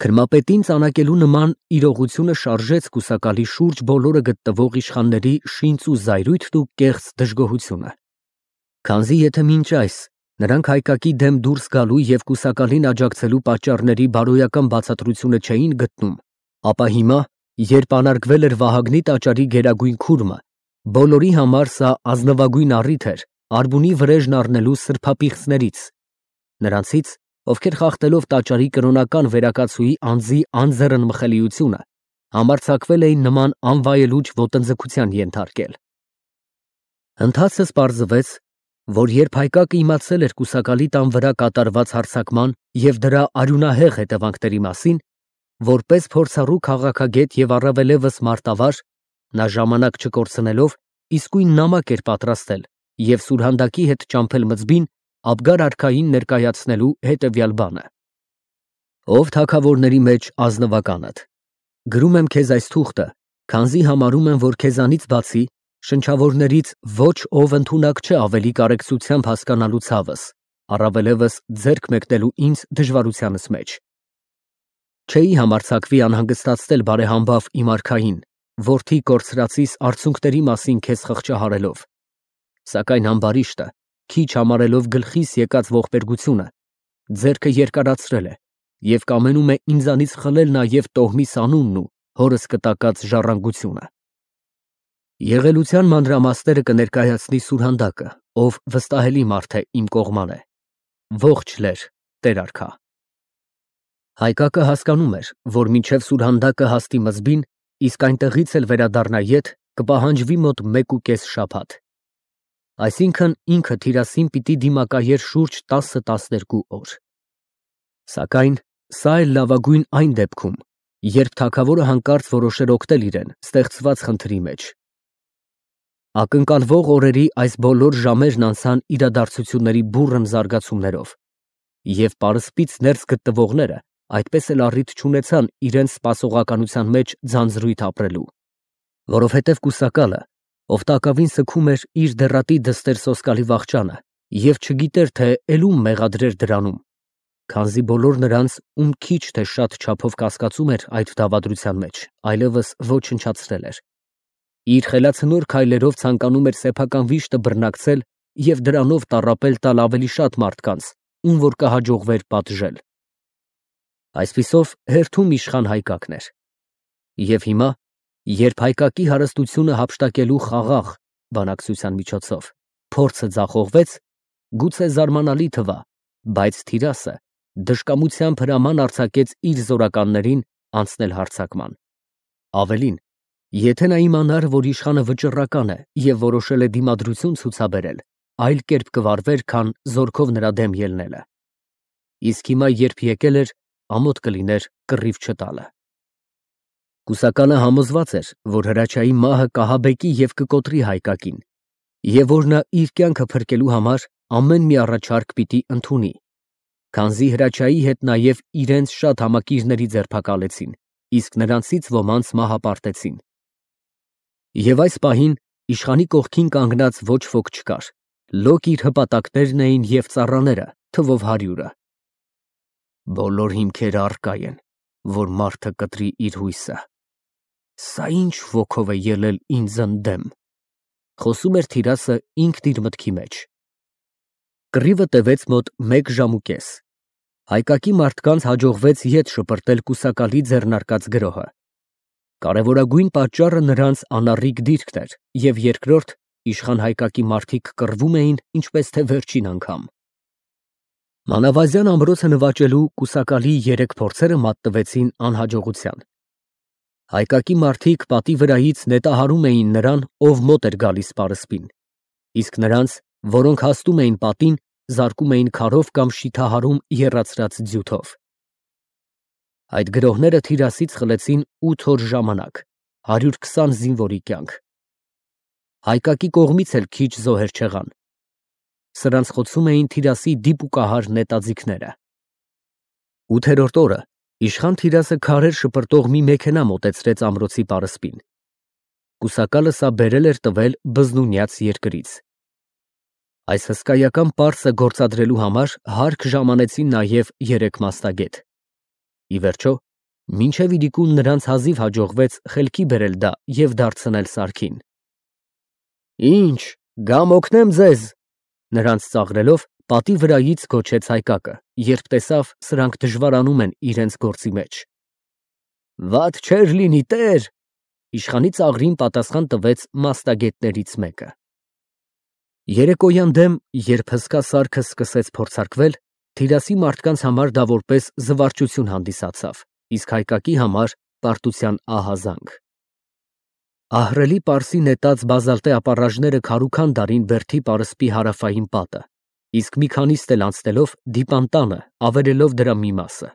Քրմապետին ծանակելու նման իրողությունը շարժեց կուսակալի շուրջ բոլորը գտնվող իշխանների շինծ ու զայրույթն ու կեղծ դժգոհությունը։ Քանզի եթե մինչ այս նրանք հայկակի դեմ դուրս գալու և կուսակալին աջակցելու պատճառների բարոյական բացատրությունը չէին գտնում, ապա հիմա, երբ անարգվել էր Վահագնի տաճարի գերագույն քուրմը, բոլորի համար սա ազնվագույն առիթ էր արբունի վրեժն առնելու սրբապիղծներից, նրանցից, ովքեր խախտելով տաճարի կրոնական վերակացուի անձի անձեռն մխելիությունը, համարձակվել էին նման անվայելուչ ոտնձգության ենթարկել։ Ընթացս պարզվեց, որ երբ հայկակը իմացել էր կուսակալի տան վրա կատարված հարձակման և դրա արյունահեղ հետևանքների մասին, որպես փորձառու քաղաքագետ և առավելևս մարտավար, նա ժամանակ չկորցնելով իսկույն նամակ էր պատրաստել և սուրհանդակի հետ ճամփել մզբին Աբգար արքային ներկայացնելու հետևյալ բանը. «Ով թագավորների մեջ ազնվականդ, գրում եմ քեզ այս թուղթը, քանզի համարում եմ, որ քեզանից բացի շնչավորներից ոչ ով ընդունակ չէ ավելի կարեկցությամբ հասկանալու ցավս, առավելևս ձեռք մեկնելու ինձ դժվարությանս մեջ։ Չէի համարձակվի անհանգստացնել բարեհամբավ իմ արքային, որդի կորցրածիս արցունքների մասին քեզ խղճահարելով, սակայն ամբարիշտը, քիչ համարելով գլխիս եկած ողբերգությունը, ձեռքը երկարացրել է և կամենում է ինձանից խլել նաև տոհմիս անունն ու հորս կտակած ժառանգությունը։ Եղելության մանրամասները կներկայացնի սուրհանդակը, ով վստահելի մարդ է իմ կողման է։ Ողջ լեր, տեր արքա»։ Հայկակը հասկանում էր, որ մինչև սուրհանդակը հասնի մզբին, իսկ այնտեղից էլ վերադառնա ետ, կպահանջվի մոտ 1.5 շաբաթ։ Այսինքն ինքը Թիրասին պիտի դիմակայեր շուրջ 10-12 օր։ Սակայն սա էլ լավագույն այն դեպքում, երբ թագավորը հանկարծ որոշեր օգնել իրեն ստեղծված խնդրի մեջ։ Ակնկալվող օրերի այս բոլոր ժամերն անցան իրադարձությունների բուռն զարգացումներով, և պարսպից ներս գտնվողները այդպես էլ առիթ չունեցան իրենց սպասողականության մեջ ձանձրույթ ապրելու, որովհետև կուսակալը, ով տակավին սգում էր իր դեռատի դստեր Սոսկալի վախճանը և չգիտեր, թե էլում մեղադրեր դրանում, քանզի բոլոր նրանց, ում քիչ թե շատ չափով կասկածում էր այդ դավադրության մեջ, այլևս ոչնչացրել էր, իր խելացնոր քայլերով ցանկանում էր սեփական վիշտը բռնակցել և դրանով տառապել տալ ավելի շատ մարդկանց, ում որ կհաջողվեր պատժել։ Այսպիսով հերթում իշխան Հայկակն էր։ Եվ հիմա, երբ Հայկակի հարստությունը հափշտակելու խաղաղ բանակցության միջոցով փորձը ձախողվեց, գուցե զարմանալի թվա, բայց Թիրասը դժկամությամբ հրաման արձակեց իր զորականներին անցնել հարձակման։ Ավելին, եթե նա իմանար, որ իշխանը վճռական է և որոշել է դիմադրություն ցուցաբերել, այլ կերպ կվարվեր, քան զորքով նրա դեմ ելնելը։ Իսկ հիմա, երբ եկել էր, ամոթ կլիներ կռիվ չտալը։ Կուսակալը համոզված էր, որ Հրաչյայի մահը կահաբեկի և կկոտրի Հայկակին, և որ նա իր կյանքը փրկելու համար ամեն մի առաջարկ պիտի ընդունի, քանզի Հրաչյայի հետ նաև իրենց շատ համակիրների ձերբակալեցին, իսկ նրանցից ոմանց մահապարտեցին։ Եվ այս պահին իշխանի կողքին կանգնած ոչ ոք չկար, լոկ իր հպատակներն էին և ծառաները, թվով 100-ը։ Բոլոր հիմքերը առկա են, որ մարդը կտրի իր հույսը։ Սա ինչ ոգով է ելել ինձ ընդդեմ, խոսում էր Թիրասը ինքն իր մտքի մեջ։ Կռիվը տևեց մոտ 1 ժամ ու կես։ Հայկակի մարդկանց հաջողվեց ետ շպրտել կուսակալի ձեռնարկած գրոհը։ Կարևորագույն պատճառը նրանց անառիկ դիրքն էր, և երկրորդ, իշխան Հայկակի մարդիկ կռվում էին, ինչպես թե վերջին անգամ։ Մանավազյան ամրոցը նվաճելու կուսակալի 3 փորձերը մատնվեցին անհաջողության։ Հայկակի մարդիկ պատի վրայից նետահարում էին նրան, ով մոտ էր գալիս պարսպին, իսկ նրանց, որոնք հասնում էին պատին, զարկում էին քարով կամ շիթահարում եռացրած ձյութով։ Այդ գրոհները Թիրասից խլեցին 8 օր ժամանակ, 120 զինվորի կյանք։ Հայկակի կողմից էլ քիչ զոհեր չեղան։ Սրանց խոցում էին Թիրասի դիպուկահար նետաձիգները։ 8-րդ օրը իշխան Թիրասը քարեր շպրտող մի մեքենա մոտեցրեց ամրոցի պարսպին։ Կուսակալը սա բերել էր տվել բզնունյաց երկրից։ Այս հսկայական պարսը գործադրելու համար հարկ ժամանեցին նաև 3 մասնագետ։ Ի վերջո, Մինչև իրիկուն նրանց հազիվ հաջողվեց խելքի բերել դա և դարձնել սարքին։ Ինչ, գամ օգնեմ ձեզ, նրանց ծաղրելով պատի վրայից գոչեց Հայկակը, երբ տեսավ սրանք դժվարանում են իրենց գործի մեջ։ Վատ չէր լինի, տեր, իշխանի ծաղրին պատասխան տվեց մասնագետներից մեկը։ Երեկոյան դեմ, երբ հսկա սարքը սկսեց փորձարկվել, Թիրասի մարդկանց համար դա որպես զվարճություն հանդիսացավ, իսկ Հայկակի համար պարտության ահազանգ։ Ահռելի պարսի նետած բազալտե ապառաժները քարուքան դարին բերդի պարսպի հարավային պատը, իսկ մի քանի ստել անցնելով դիպան տանը, ավերելով դրա մի մասը։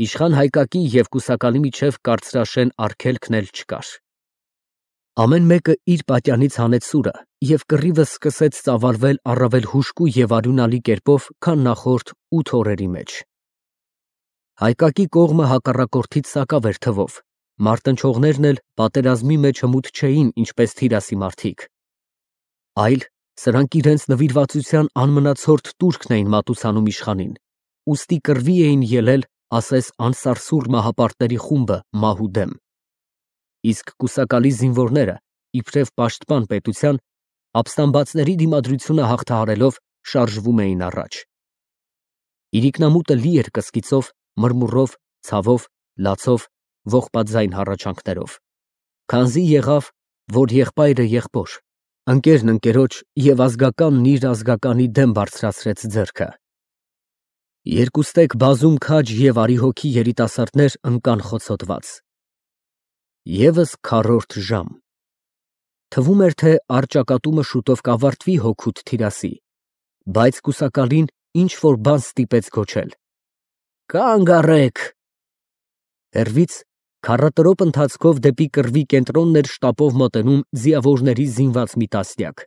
Իշխան Հայկակի և կուսակալի միջև կարծրաշեն արգելքն էլ չկար։ Ամեն մեկը իր պատյանից հանեց սուրը և կռիվը սկսեց ծավալվել առավել հուժկու և արյունալի կերպով, քան նախորդ 8 օրերի մեջ։ Հայկակի կողմը հակառակորդից սակավ էր թվով, մարտնչողներն էլ պատերազմի մեջ հմուտ չէին, ինչպես Թիրասի մարդիկ, այլ սրանք իրենց նվիրվածության անմնացորդ տուրքն էին մատուցանում իշխանին, ուստի կռվի էին ելել, ասես անսարսուռ մահապարտների խումբը մահու դեմ։ Իսկ կուսակալի զինվորները, իբրև պաշտպան պետության, ապստամբացների դիմադրությունը հաղթահարելով շարժվում էին առաջ։ Իրիկնամուտը լի էր կսկիծով, մրմուռով, ցավով, լացով, ողբաձայն հառաչանքներով։ Քանզի եղավ, որ եղբայրը եղբոր, ընկերն ընկերոջ և ազգականն իր ազգականի դեմ բարձրացրեց ձեռքը։ Երկուստեք բազում քաջ և արիհոգի երիտասարդներ ընկան խոցոտված։ Եվս քառորդ ժամ։ Թվում էր, թե առճակատումը շուտով կավարտվի հոգուտ Թիրասի, բայց կուսակալին ինչ-որ բան ստիպեց գոչել. Կանգ առեք։ Հեռվից քառատրոպ ընթացքով դեպի կռվի կենտրոնն էր շտապով մոտենում ձիավորների զինված մի տասնյակ։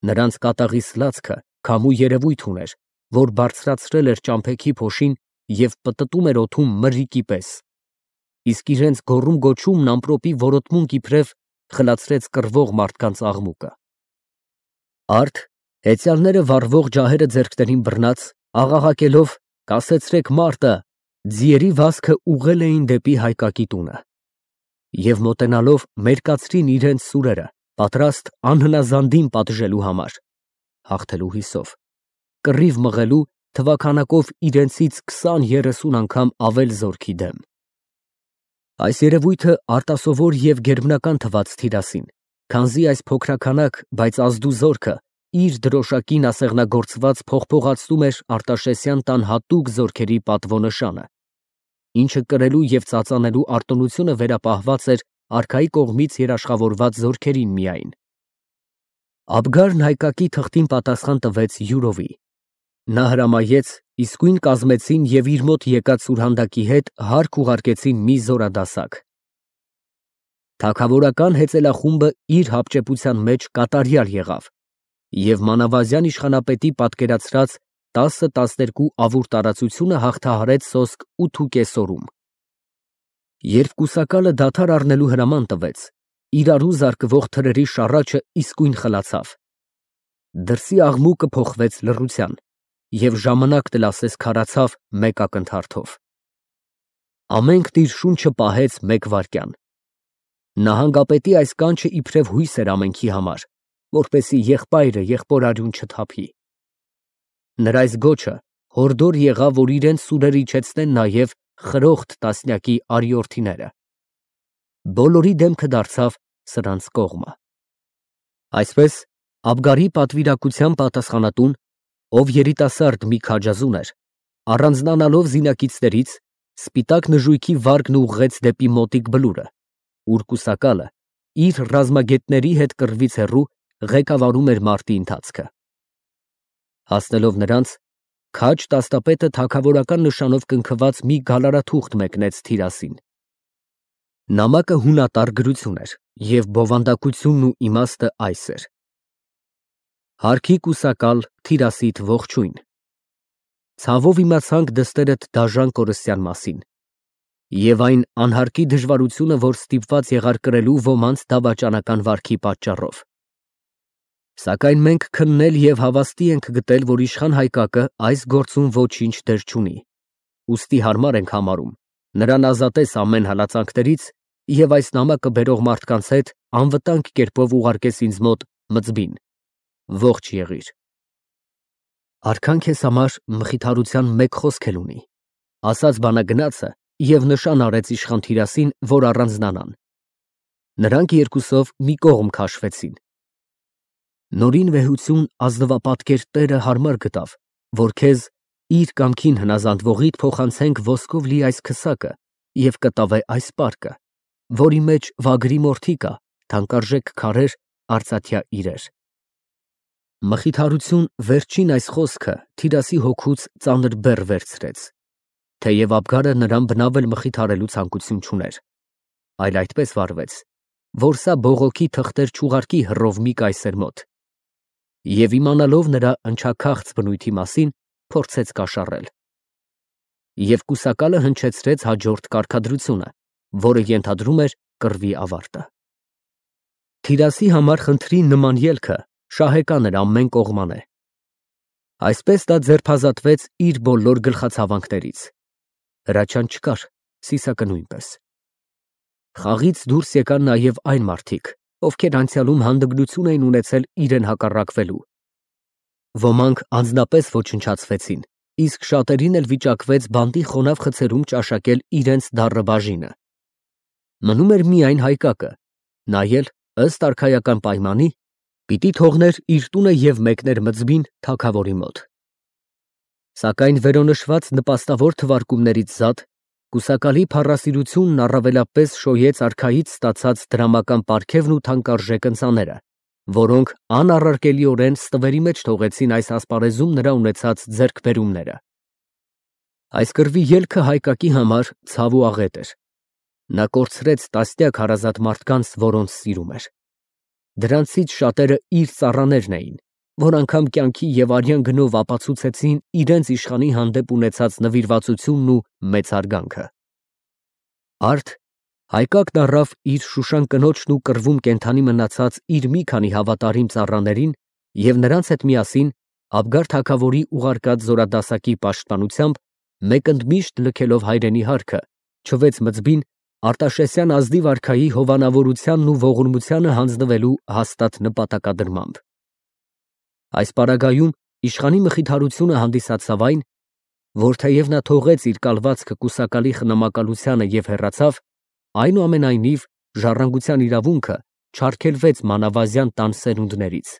Նրանց կատաղի սլացքը քամու երևույթ ուներ, որ բարձրացրել էր ճամփեքի փոշին և պտտում էր օդում մրրիկի պես, իսկ իրենց գոռում-գոչումն ամպրոպի որոտմունք իբրև խլացրեց կռվող մարդկանց աղմուկը։ Արդ հեծյալները վառվող ջահերը ձեռքներին բռնած, աղաղակելով «Կասեցրեք մարտը», ձիերի վազքը ուղղել էին դեպի Հայկակի տունը։ Եվ մոտենալով մերկացրին իրենց սուրերը, պատրաստ անհնազանդին պատժելու համար, հաղթելու հույսով, կռիվ մղելու թվաքանակով իրենցից 20-30 անգամ ավել զորքի դեմ։ Այս երևույթը արտասովոր և գերբնական թվաց Թիրասին, քանզի այս փոքրաքանակ, բայց ազդու զորքը իր դրոշակին ասեղնագործված փողփողացնում էր Արտաշեսյան տան հատուկ զորքերի պատվոնշանը, ինչը կրելու և ծածանելու արտոնությունը վերապահված էր արքայի կողմից երաշխավորված զորքերին միայն։ Աբգարն Հայկակի թղթին պատասխան տվեց յուրովի։ Նա հրամայեց, իսկույն կազմեցին և իր մոտ եկած սուրհանդակի հետ հարկ ուղարկեցին մի զորադասակ։ Թագավորական հեծելախումբը իր հապճեպության մեջ կատարյալ եղավ և մանավազյան իշխանապետի պատկերացրած 10-12 ավուր տարածությունը հաղթահարեց սոսկ 8 օրում։ Երբ կուսակալը դադար առնելու հրաման տվեց, իրարու զարկվող թրերի շառաչը իսկույն խլացավ։ Դրսի աղմուկը փոխվեց լռության, և ժամանակն էլ ասես քարացավ մեկ ակնթարթով։ Ամենքն իր շունչը պահեց մեկ վայրկյան։ Նահանգապետի այս կանչը իբրև հույս էր ամենքի համար, որպեսզի եղբայրը եղբորարյուն չթափի։ Նրա այս գոչը հորդոր եղավ, որ իրենց սուրերը իջեցնեն նաև խրոխտ տասնյակի արիորդիները։ Բոլորի դեմքը դարձավ սրանց կողմը։ Այսպես Աբգարի պատվիրակության պատասխանատուն, ով երիտասարդ մի քաջազուն էր, առանձնանալով զինակիցներից, սպիտակ նժույգի վարկն ուղղեց դեպի մոտիկ բլուրը, ուր կուսակալը իր ռազմագետների հետ կռվից հեռու ղեկավարում էր մարտի ընթացքը։ Հասնելով նրանց, քաջ տասնապետը թագավորական նշանով կնքված մի գալարաթուղթ մեկնեց Թիրասին։ Նամակը հունատար գրություն էր, և բովանդակությունն ու իմաստը այս էր. Հարքի կուսակալ Թիրասիդ ողջույն։ Ցավով իմացանք դստերդ դաժան կորստյան մասին և այն անհարկի դժվարությունը, որ ստիպված եղար կրելու ոմանց դավաճանական վարքի պատճառով։ Սակայն մենք քննել և հավաստի ենք գտել, որ իշխան Հայկակը այս գործում ոչինչ դեր չունի, ուստի հարմար ենք համարում, Նրան ազատես ամեն հալածանքներից և այս նամակը բերող մարդկանց հետ անվտանգ կերպով ուղարկես ինձ մոտ Մծբին։ Ողջ եղիր։ Արքան քեզ համար մխիթարության մեկ խոսք էլ ունի, ասաց բանագնացը և նշան արեց իշխան Թիրասին, որ առանձնանան։ Նրանք երկուսով մի կողմ քաշվեցին։ Նորին վեհություն ազնվապատկեր Տերը հարմար գտավ, որ քեզ իր կամքին հնազանդվողիդ փոխանցենք ոսկով լի այս քսակը և կտավե այս պարկը, որի մեջ վագրի մորթի կա, թանկարժեք քարեր, արծաթյա իրեր։ Մխիթարություն վերջին այս խոսքը Թիրասի հոգուց ծանր բեռ վերցրեց, թեև Աբգարը նրան բնավ էլ մխիթարելու ցանկություն չուներ, այլ այդպես վարվեց, որ սա բողոքի թղթեր չուղարկի հռովմի կայսեր մոտ, և իմանալով նրա ընչաքաղց բնույթի մասին, փորձեց կաշառել։ Եվ կուսակալը հնչեցրեց հաջորդ կարգադրությունը, որը ենթադրում էր կռվի ավարտը։ Թիրասի համար խնդրի նման ելքը շահեկան էր ամեն կողմանե։ Այսպես նա ձերբազատվեց իր բոլոր գլխացավանքներից։ Հրաչյան չկար, Սիսակը նույնպես։ Խաղից դուրս եկան նաև այն մարդիկ, ովքեր անցյալում հանդգնություն էին ունեցել իրեն հակառակվելու։ Ոմանք անձնապես ոչնչացվեցին, իսկ շատերին էլ վիճակվեց բանտի խոնավ խցերում ճաշակել իրենց դառը բաժինը։ Մնում էր միայն Հայկակը, նա էլ, ըստ արքայական պայմանի, պիտի թողներ իր տունը և մեկներ Մծբին թագավորի մոտ։ Սակայն վերոնշված նպաստավոր թվարկումներից զատ, կուսակալի փառասիրությունն առավելապես շոյեց արքայից ստացած դրամական պարգևն ու թանկարժեք ընծաները, որոնք անառարկելիորեն ստվերի մեջ թողեցին այս ասպարեզում նրա ունեցած ձեռքբերումները։ Այս կռվի ելքը Հայկակի համար ցավ ու աղետ էր։ Նա կորցրեց տասնյակ հարազատ մարդկանց, որոնց սիրում էր։ Դրանցից շատերը իր ծառաներն էին, որ անգամ կյանքի և արյան գնով ապացուցեցին իրենց իշխանի հանդեպ ունեցած նվիրվածությունն ու մեծ հարգանքը։ Արդ Հայկակն առավ իր Շուշան կնոջն ու կռվում կենդանի մնացած իր մի քանի հավատարիմ ծառաներին և նրանց հետ միասին Աբգար թագավորի ուղարկած զորադասակի պաշտպանությամբ մեկընդմիշտ լքելով հայրենի հարկը, չվեց Մծբին Արտաշեսյան ազնիվ արքայի հովանավորությանն ու ողորմությանը հանձնվելու հաստատ նպատակադրմամբ։ Այս պարագայում իշխանի մխիթարությունը հանդիսացավ այն, որ թեև նա թողեց իր կալվածքը կուսակալի խնամակալությանը և հեռացավ, այնուամենայնիվ ժառանգության իրավունքը չարգելվեց մանավազյան տան սերունդներից։